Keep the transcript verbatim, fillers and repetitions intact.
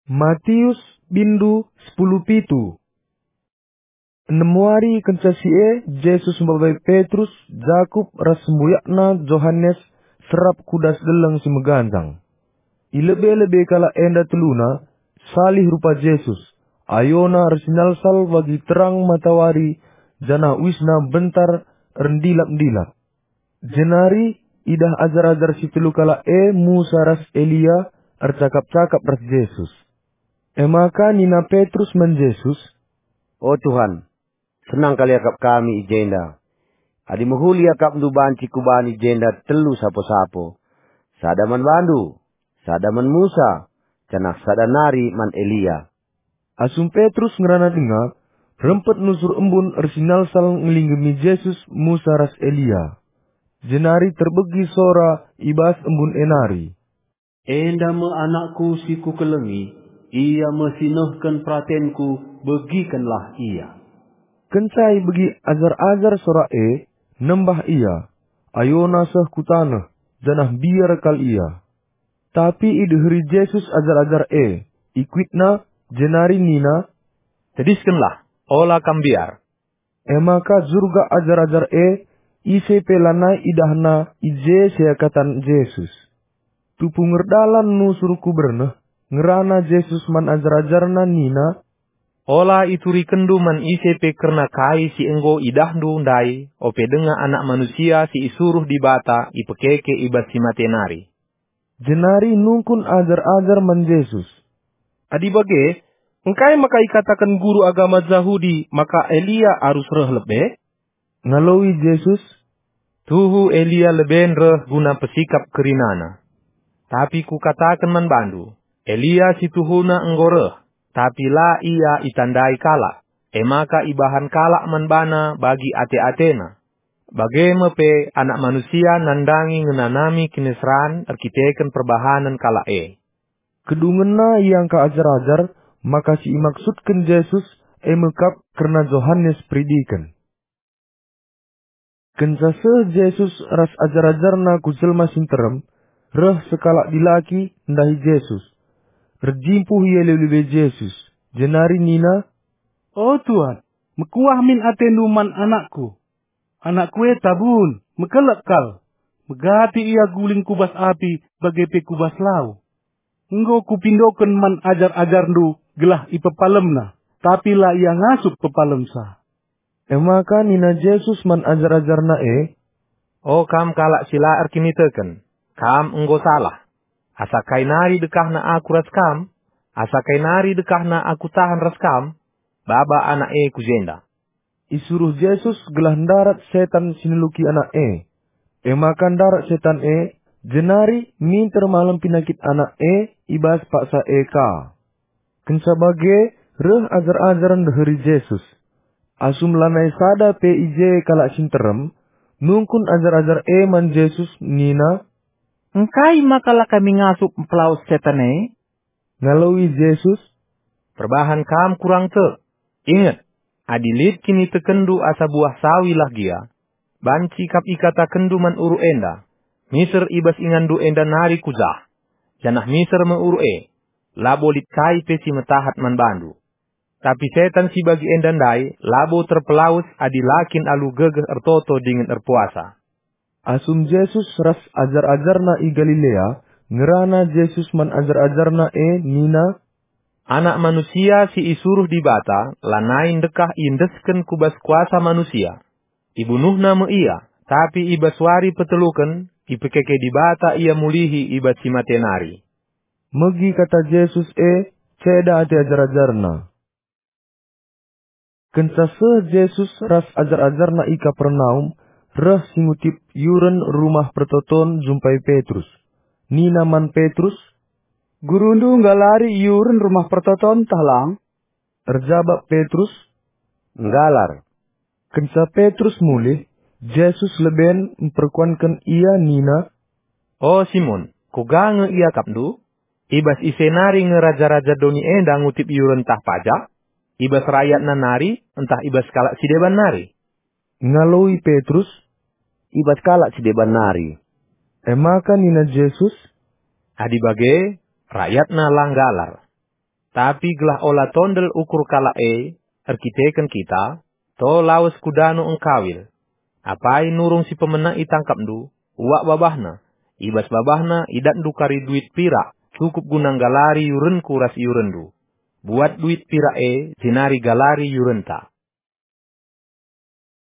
Matius, bindu sepuluh pitu. Enem wari kenca si e, Jesus mbabai Petrus, Jakup, ras sembuyakna Johanes serap ku das deleng si meganjang. I lebe-lebe kalak enda teluna, salih rupa Jesus, ayona ersinalsal bagi terang matawari, janah uisna bentar erndilap-ndilap. Jenari idah ajar-ajar si telu kalak e Musa ras Elia ercakap-cakap ras Jesus. E maka nina Petrus man Jesus, "O Tuhan, senang kal iakap kami i jenda. Adi mehuli iakapNdu banci kubani jenda telu sapo-sapo, sada man baNdu, sada man Musa, janah sada nari man Elia." Asum Petrus ngerana denga, rempet nusur embun ersinalsal ngelinggemi Jesus, Musa ras Elia. Jenari terbegi sora i bas embun e nari, "Enda me anakku si kukelengi, ia me si nehken peratenku, begikenlah ia." Kenca ibegi ajar-ajar sora e, nembah ia, ayona seh ku taneh, janah mbiar kal ia. Tapi ideheri Jesus ajar-ajar e, ikuitna, jenari nina, "Tediskenlah, ola kam mbiar." E maka jurgak ajar-ajar e, ise pe lanai idahna i je seakatan Jesus. Tupu ngerdalan nusur ku berneh, ngerana Jesus man ajar-ajarNa nina, "Ola iturikenndu man ise pe kerna kai si enggo idahndu ndai, ope denga Anak Manusia si isuruh Dibata ipekeke i bas si mate nari." Jenari nungkun ajar-ajar man Jesus, "Adi bage, engkai maka ikataken guru agama Jahudi maka Elia arus reh lebe?" Ngaloi Jesus, "Tuhu Elia leben reh guna pesikap kerinana. Tapi Kukataken man bandu, Elia si tuhuna enggo reh, tapi la ia itandai kalak, e maka ibahan kalak man bana bagi ate-atena. Bage me pe Anak Manusia nandangi ngenanami kiniseran erkiteken perbahanen kalak e." Kedungenna iangka ajar-ajar maka si imaksudken Jesus e me kap kerna Johanes Peridiken. Kenca seh Jesus ras ajar-ajarNa ku jelma si nterem, reh sekalak dilaki ndahi Jesus. Erjimpuh ia i lebe-lebe Jesus, jenari nina, "O Tuan, mekuah min atendu man anakku. Anakku e tabun, mekelek kal. Megati ia guling ku bas api bage pe ku bas lau. Enggo Kupindoken man ajar-ajarNdu gelah ipepalemna, tapi la ia ngasup pepalemsa." E maka nina Jesus man ajar-ajarNa e, "O kam kalak si la erkiniteken, kam enggo salah. Asa kai nari dekahna Aku ras kam? Asa kai nari dekahna Aku tahan ras kam? Baba anak e ku jenda." Isuruh Jesus gelah ndarat setan si neluki anak e. E maka ndarat setan e, jenari minter malem pinakit anak e i bas paksa e ka. Kenca bage, reh ajar-ajar ndeheri Jesus. Asum lanai sada pe i je kalak si nterem, nungkun ajar-ajar e man Jesus nina, "Engkai maka la kami ngasup mpelawes setan e?" Ngaloi Jesus, "Perbahan kam kurang tek. Inget, adi lit kinitekenndu asa buah sawi lah gia, banci kap ikatakenndu man uruk enda, 'Miser i bas inganndu enda nari ku jah,' janah miser me uruk e, labo lit kai pe si metahat man bandu. Tapi setan si bagi enda ndai labo terpelawes adi la kin alu gegeh ertoto dingen erpuasa." Asum Jesus ras ajar-ajarNa i Galilea, ngerana Jesus man ajar-ajarNa e nina, "Anak Manusia si isuruh Dibata lanai ndekah iendesken ku bas kuasa manusia. IbunuhNa me Ia, tapi i bas wari peteluken ipekeke Dibata Ia mulihi i bas si mate nari." Megi kata Jesus e, ceda ate ajar-ajarNa. Kenca seh Jesus ras ajar-ajarNa i Kapernaum, reh si ngutip yuren Rumah Pertoton jumpai Petrus. Nina man Petrus, "GuruNdu nggalari yuren Rumah Pertoton tah lang?" Erjabap Petrus, "Nggalar." Kenca Petrus mulih, Jesus leben mperkuanken ia nina, "O Simon, kuga nge iakapndu? I bas ise nari nge raja-raja doni enda ngutip iuren ntah pajak? I bas rayatna nari ntah i bas kalak si deban nari?" Ngaloi Petrus, "I bas kalak si deban nari." E maka nina Jesus, "Adi bage, rayatna la nggalar." Tapi gelah ola tondel ukur kalak e erkiteken kita, to lawes ku dano engkawil. Apai nurung si pemena itangkapndu, uak babahna, i bas babahna idatndu kari duit pirak, cukup guna nggalari iurenku ras iurenndu. Buat duit pirak e, jenari galari iurenta.